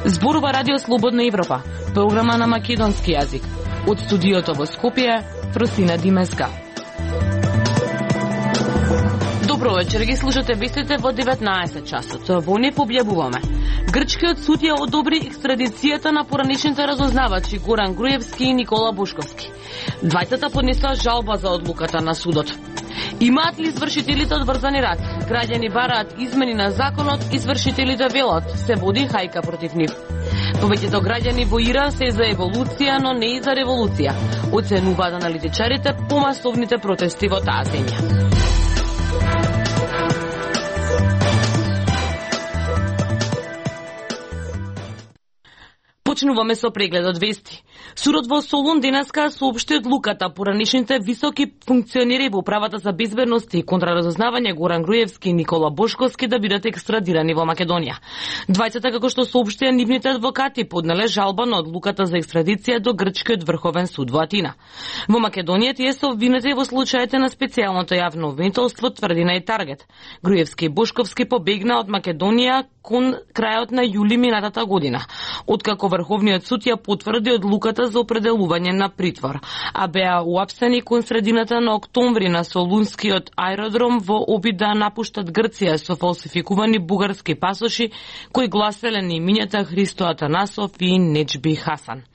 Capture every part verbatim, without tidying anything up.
Зборува Радио Слободна Европа, програма на македонски јазик. Од студиото во Скопје, Фросина Димеска. Добро вечер, ги слушате вестите во деветнаесет часот. Во не објавуваме. Грчкиот суд ја одобри екстрадицијата на поранешните разузнавачи Горан Груевски и Никола Бошковски. Двајцата поднесоа жалба за одлуката на судот. Имаат ли извршителите одврзани рак? Граѓани бараат измени на законот, извршителите велат се води хајка против нив. Повеќето граѓани во Иран се за еволуција, но не и за револуција. Оценуваат аналитичарите помасовните протести во таа земја. Почнуваме со прегледот вести. Судот во Солун денеска соопшти одлуката поранешните високи функционери во управата за безбедност и контраразузнавање Горан Груевски и Никола Бошковски да бидат екстрадирани во Македонија. Двајцата, како што соопштија нивните адвокати, поднеле жалба на одлуката за екстрадиција до Грчкиот врховен суд во Атина. Во Македонија тие се обвинети во случаите на специјалното јавно обвинителство, тврдина и таргет. Груевски и Бошковски побегна од Македонија кон крајот на јули минатата година, откако Врховниот суд ја потврди одлуката за определување на притвор, а беа уапсени кон средината на октомври на Солунскиот аеродром во обид да напуштат Грција со фалсификувани бугарски пасоши кои гласеле на имињата Христо Атанасов и Неџби Хасан.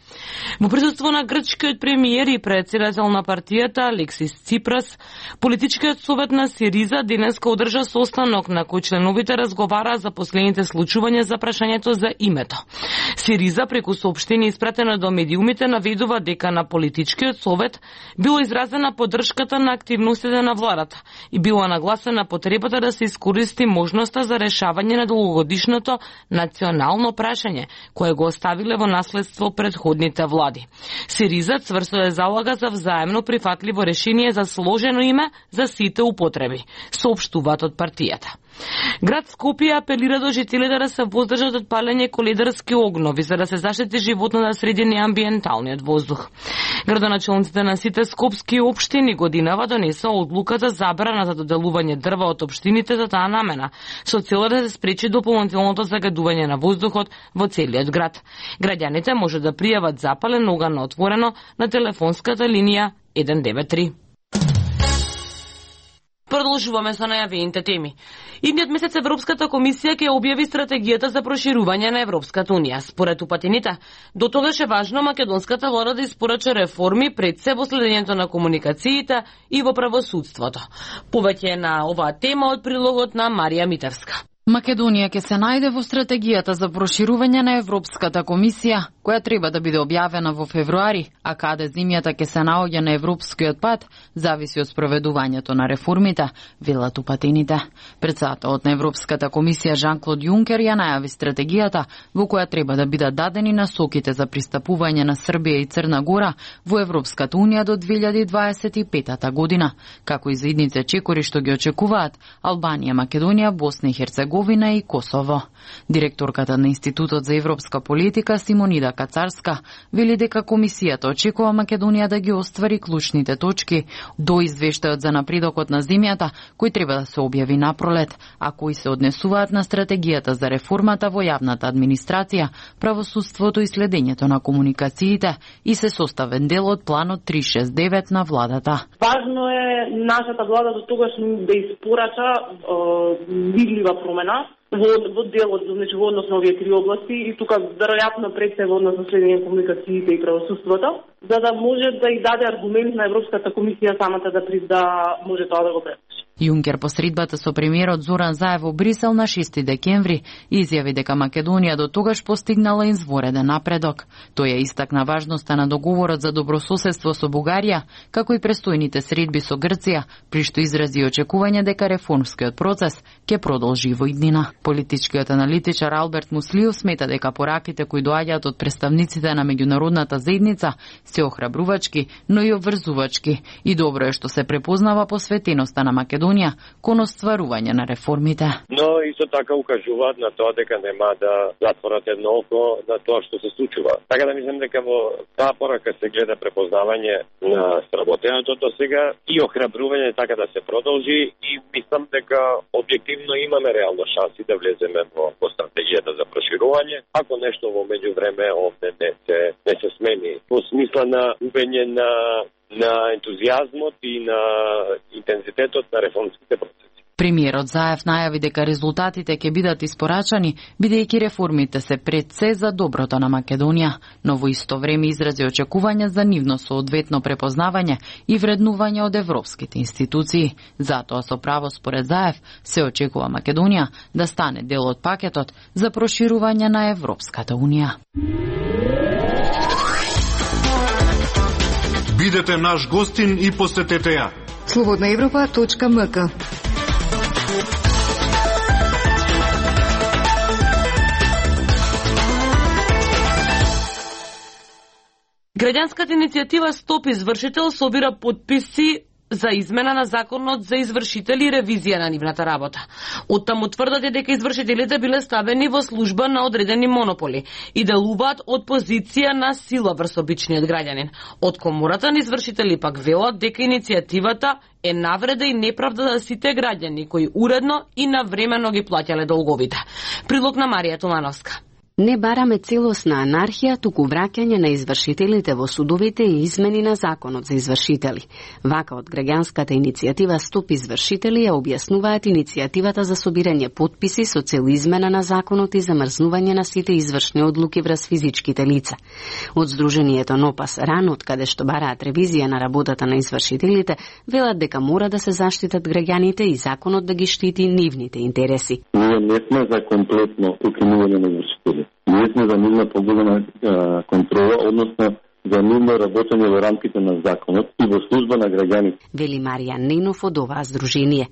Во присуство на грчкиот премиер и председател на партијата Алексис Ципрас, политичкиот совет на Сириза денеска одржа состанок на кој членовите разговараа за последните случувања за прашањето за името. Сириза преку соопштение испратено до медиумите наведува дека на политичкиот совет било изразена поддршката на активностите на владата и било нагласена потребата да се искористи можноста за решавање на долгогодишното национално прашање кое го оставиле во наследство предходните влади. Сириза цврсто е залага за взаемно прифатливо решение за сложено име за сите употреби, соопштуваат од партијата. Град Скопје апелира до жителите да се воздржат од палење коледарски огнови за да се заштити животната средина и амбиенталниот воздух. Градоначалниците на сите скопски општини годинава донесоа одлука за забрана за доделување дрва од општините за таа намена, со цел да се спречи дополнителното загадување на воздухот во целиот град. Граѓаните може да пријават запален оган на отворено на телефонската линија еден девет три. Продолжуваме со најавените теми. Идниот месец Европската комисија ќе објави стратегијата за проширување на Европската унија. Според упатените, до тогаш е важно македонската влада да испорача реформи пред се во следењето на комуникациите и во правосудството. Повеќе на оваа тема од прилогот на Марија Митевска. Македонија ќе се најде во стратегијата за проширување на Европската комисија, која треба да биде објавена во февруари, а каде земјата ќе се наоѓа на европскиот пат, зависи од спроведувањето на реформите, велат упатените. Председателот на Европската комисија Жан-Клод Јункер ја најави стратегијата во која треба да бидат дадени насоките за пристапување на Србија и Црна Гора во Европската унија до две илјади дваесет и пета година, како и за идните чекори што ги очекуваат Албанија, Македонија, Босна и Херцеговина и Косово. Директорката на Институтот за европска политика Симонида Кацарска вели дека комисијата очекува Македонија да ги оствари клучните точки до извештајот за напредокот на земјата, кој треба да се објави напролет, а кои се однесуваат на стратегијата за реформата во јавната администрација, правосудството и следењето на комуникациите и се составен дел од планот триста шесет и девет на владата. Важно е нашата влада до тогаш да испорача видлива промена во, во делот, значи во однос на овие три области и тука веројатно пред се во однос на следење на комуникациите и правосудството, за да може да и даде аргумент на Европската комисија самата да да може тоа да го предпиши. Јункер по средбата со премиерот Зоран Заев во Брисел на шести декември изјави дека Македонија до тогаш постигнала извореден напредок. Тој ја истакна важноста на договорот за добрососедство со Бугарија, како и престојните средби со Грција, при што изрази очекување дека реформскиот процес ќе продолжи во иднина. Политичкиот аналитичар Алберт Муслиов смета дека пораките кои доаѓаат од представниците на меѓународната заедница се охрабрувачки, но и обврзувачки, и добро е што се препознава посветеноста на Македонија Македонија кон остварување на реформите. Но исто така укажуваат на тоа дека нема да затворат едно око на тоа што се случува. Така да мислам дека во таа порака се гледа препознавање на сработеното до сега и охрабрување така да се продолжи, и мислам дека објективно имаме реално шанси да влеземе во, во стратегијата за проширување, ако нешто во меѓувреме овде не се не се смени во смисла на губење на на ентузијазмот и на интензитетот на реформските процеси. Премиерот Заев најави дека резултатите ќе бидат испорачани, бидејќи реформите се пред се за доброто на Македонија, но во исто време изрази очекувања за нивно соодветно препознавање и вреднување од европските институции. Затоа со право според Заев се очекува Македонија да стане дел од пакетот за проширување на Европската унија. Бидете наш гостин и посетете ја. слободна европа точка ем ка. Граѓанската иницијатива Стоп извршител собира потписи за измена на законот за извршители и ревизија на нивната работа. Оттаму тврдат дека извршителите биле ставени во служба на одредени монополи и делуваат од позиција на сила врз обичниот граѓанин. Од комората на извршители пак велат дека иницијативата е навреда и неправда за сите граѓани кои уредно и навремено ги плаќале долговите. Прилог на Марија Тумановска. Не бараме целосна анархија, туку враќање на извршителите во судовите и измени на законот за извршители. Вака од граѓанската иницијатива Стоп извршители ја објаснуваат иницијативата за собирање потписи со цел измена на законот и замрзнување на сите извршни одлуки врз физичките лица. Од Сдруженијето НОПАС Ран, од каде што бараат ревизија на работата на извршителите, велат дека мора да се заштитат граѓаните и законот да ги штити нивните интереси. Ние не сме за комплетно укинување на извршители. Ние сме за нивна поголема контрола, односно за нивно работење во рамките на законот и во служба на граѓаните. Вели Марија Ненов од оваа здружение.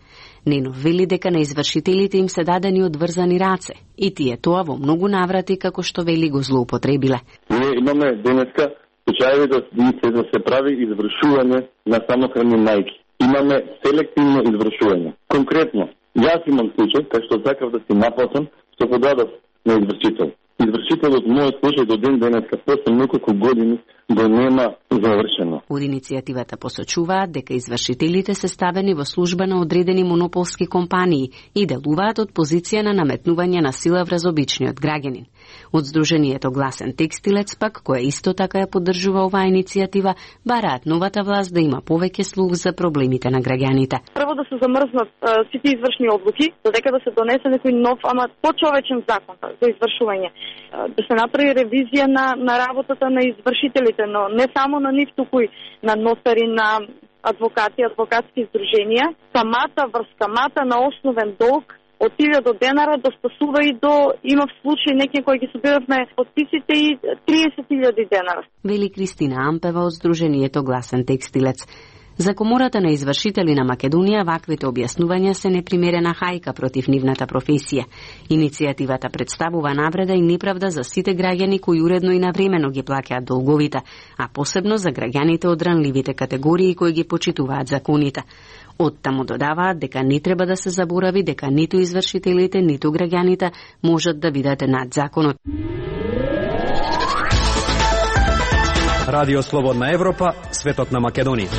Ненов вели дека на извршителите им се дадени одврзани раце и тие тоа во многу наврати, како што вели, го злоупотребиле. Ние имаме денеска случаеви да се, да се прави извршување на самохрани мајки. Имаме селективно извршување. Конкретно, јас имам случај, кај што сакав да си наплатам, што подадов на извршител. Извршителот мојот случај до ден денеска после неколку години го нема завршено. Од иницијативата посочуваат дека извршителите се ставени во служба на одредени монополски компании и делуваат од позиција на наметнување на сила врз обичниот граѓанин. Од Сдруженијето Гласен текстилец пак, која исто така ја поддржува оваа иницијатива, бараат новата власт да има повеќе слух за проблемите на граѓаните. Прво да се замрзнат а, сите извршни одлуки, додека да се донесе некој нов, ама почовечен закон за извршување. А, да се направи ревизија на, на работата на извршителите, но не само на нив, туку и на нотари, на адвокати, адвокатски здруженија. Камата врз камата на основен долг од илјада денара да спасува и до, има в случај некој кој ги собиравме подписите и триесет илјади денара. Вели Кристина Ампева од Сдруженијето Гласен текстилец. За комората на извршители на Македонија ваквите објаснувања се непримерена хајка против нивната професија. Иницијативата представува навреда и неправда за сите граѓани кои уредно и навремено ги плаќаат долговите, а посебно за граѓаните од ранливите категории кои ги почитуваат законите. Оттаму додаваат дека не треба да се заборави дека ниту извршителите, ниту граѓаните можат да бидат над законот. Радио Слободна Европа, светот на Македонија.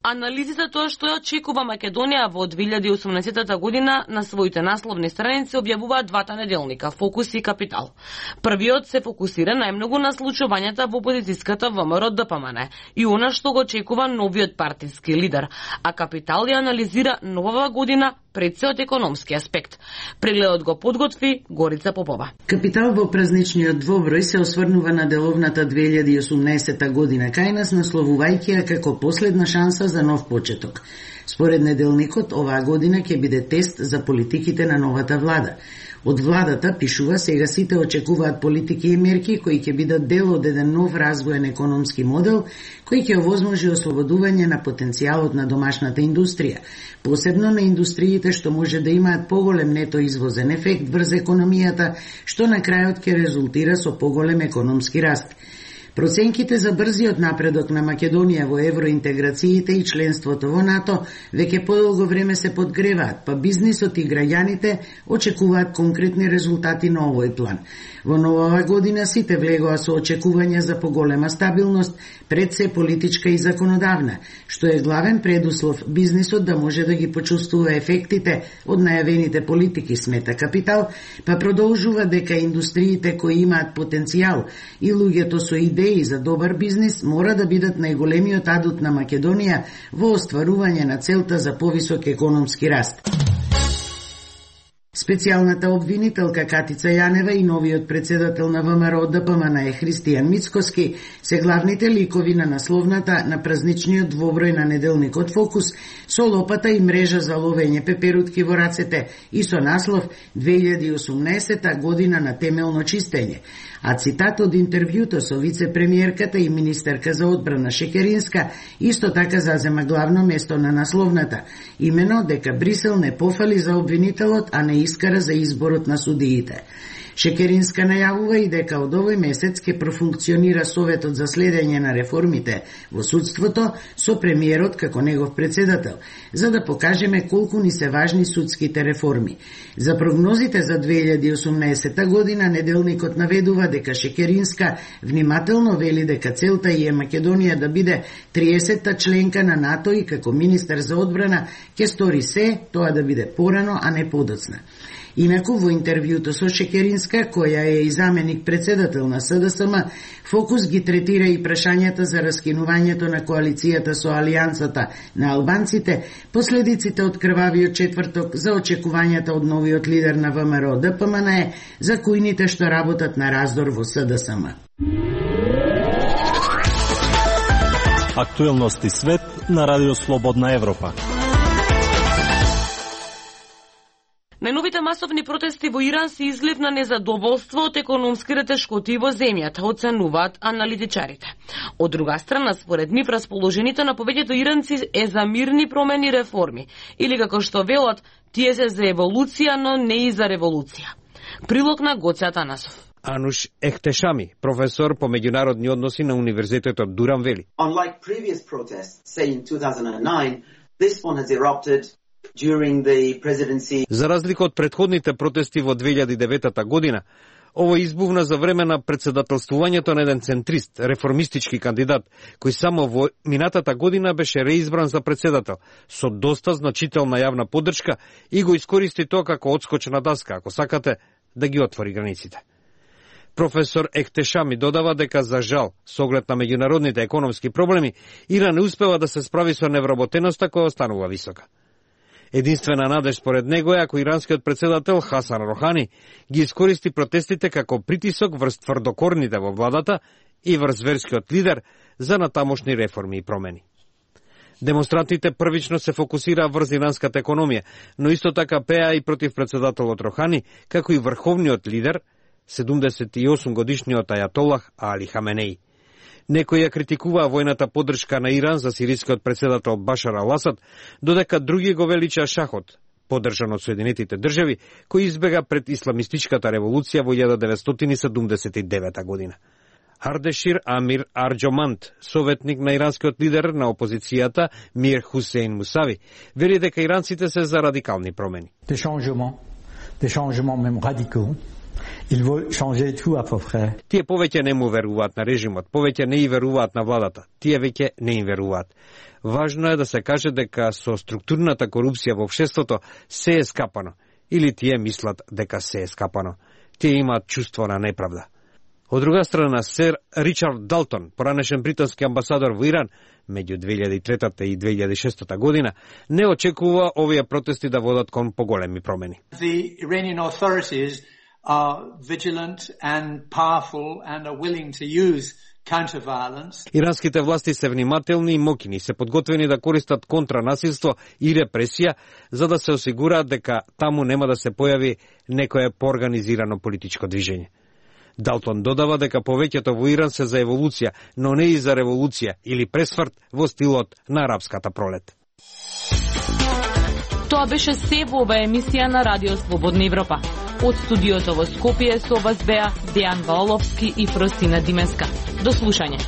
Анализи за тоа што ја очекува Македонија во две илјади и осумнаесетта година на своите насловни страници објавуваат двата неделника Фокус и Капитал. Првиот се фокусира најмногу на случувањата во опозицијската ВМРО Д П М Н и она што го очекува новиот партиски лидер, а Капитал ја анализира новава година пред се од економски аспект. Прегледот го подготви Горица Попова. Капитал во празничниот двоброј се осврнува на деловната две илјади и осумнаесетта година кај нас, насловувајќи ја како последна шанса за нов почеток. Според неделникот, оваа година ќе биде тест за политиките на новата влада. Од владата, пишува, сега сите очекуваат политики и мерки кои ќе бидат дел од еден нов развоен економски модел кој ќе овозможи ослободување на потенцијалот на домашната индустрија, посебно на индустриите што може да имаат поголем нето извозен ефект врз економијата, што на крајот ќе резултира со поголем економски раст. Проценките за брзиот напредок на Македонија во евроинтеграциите и членството во НАТО веќе подолго време се подгреваат, па бизнисот и граѓаните очекуваат конкретни резултати на овој план. Во новава година сите влегоа со очекувања за поголема стабилност, пред се политичка и законодавна, што е главен предуслов бизнисот да може да ги почувствува ефектите од најавените политики, смета Капитал, па продолжува дека индустриите кои имаат потенцијал и луѓето со идеи за добар бизнис мора да бидат најголемиот адут на Македонија во остварување на целта за повисок економски раст. Специјалната обвинителка Катица Јанева и новиот председател на ВМРО Д П М Н е Христијан Мицкоски се главните ликови на насловната на празничниот двоброј на неделникот Фокус со лопата и мрежа за ловење пеперутки во рацете и со наслов две илјади и осумнаесета година на темелно чистење. А цитат од интервјуто со вице-премиерката и министерка за одбрана Шекеринска исто така зазема главно место на насловната, имено дека Брисел не пофали за обвинителот, а не искара за изборот на судиите. Шекеринска најавува и дека од овој месец ќе профункционира Советот за следење на реформите во судството со премиерот како негов председател, за да покажеме колку ни се важни судските реформи. За прогнозите за две илјади и осумнаесета година неделникот наведува дека Шекеринска внимателно вели дека целта е Македонија да биде триесетта членка на НАТО и како министер за одбрана ќе стори се тоа да биде порано, а не подоцна. Инаку во интервјуто со Шекеринска, која е и заменик председател на С Д С М, Фокус ги третира и прашањата за раскинувањето на коалицијата со Алијансата на албанците, последиците од крвавиот четврток, за очекувањата од новиот лидер на ВМРО Д П М Н за кујните што работат на раздор во С Д С М. Актуелности свет на Радио Слободна Европа. Најновите масовни протести во Иран се излив на незадоволство од економските тешкоти во земјата, оценуваат аналитичарите. Од друга страна, според нив, расположените на повеќето иранци е за мирни промени и реформи, или како што велат, тие се за еволуција, но не и за револуција. Прилог на Гоце Атанасов. Ануш Ехтешами, професор по меѓународни односи на Универзитетот Дуран вели. Unlike previous protests, say in two thousand nine, this one has erupted during the presidency. За разлика од претходните протести во две илјади и девета година, ово избувна за време на председателствувањето на еден центрист, реформистички кандидат, кој само во минатата година беше реизбран за председател, со доста значителна јавна поддршка и го искористи тоа како одскочна даска, ако сакате, да ги отвори границите. Професор Ехтешами додава дека за жал, со оглед на меѓународните економски проблеми, Иран не успева да се справи со невработеноста која останува висока. Единствена надеж според него е ако иранскиот председател Хасан Рохани ги искористи протестите како притисок врз тврдокорните во владата и врз верскиот лидер за натамошни реформи и промени. Демонстрантите првично се фокусираа врз иранската економија, но исто така пеа и против председателот Рохани, како и врховниот лидер, седумдесет и осум годишниот ајатолах Али Хаменеи. Некои ја критикуваа војната поддршка на Иран за сирискиот председател Башар Ал-Асад, додека други го величаа шахот, поддржан од Соединетите држави, кој избега пред исламистичката револуција во илјада деветстотини седумдесет и девета година. Ардешир Амир Арџоманд, советник на иранскиот лидер на опозицијата Мир Хусейн Мусави, вели дека иранците се за радикални промени. Des changements, des changements même radicaux. Il veut changer tout à peu près. Тие повеќе не му веруваат на режимот, повеќе не и веруваат на владата. Тие веќе не им веруваат. Важно е да се каже дека со структурната корупција во општеството се е скапано. Или тие мислат дека се е скапано. Тие имаат чувство на неправда. Од друга страна, сер Ричард Далтон, поранешен британски амбасадор во Иран, меѓу две илјади и трета и две илјади и шеста година, не очекува овие протести да водат кон поголеми промени. The Iranian authorities are vigilant and powerful and are willing to use counter-violence. Иранските власти се внимателни и моќни, се подготвени да користат контранасилство и репресија, за да се осигураат дека таму нема да се појави некое поорганизирано политичко движење. Далтон додава дека повеќето во Иран се за еволуција, но не и за револуција или пресврт во стилот на арапската пролет. Тоа беше се во оваа емисија на Радио Слободна Европа. Од студиото во Скопје со вас беа Дејан Ваоловски и Фростина Димеска. До слушање.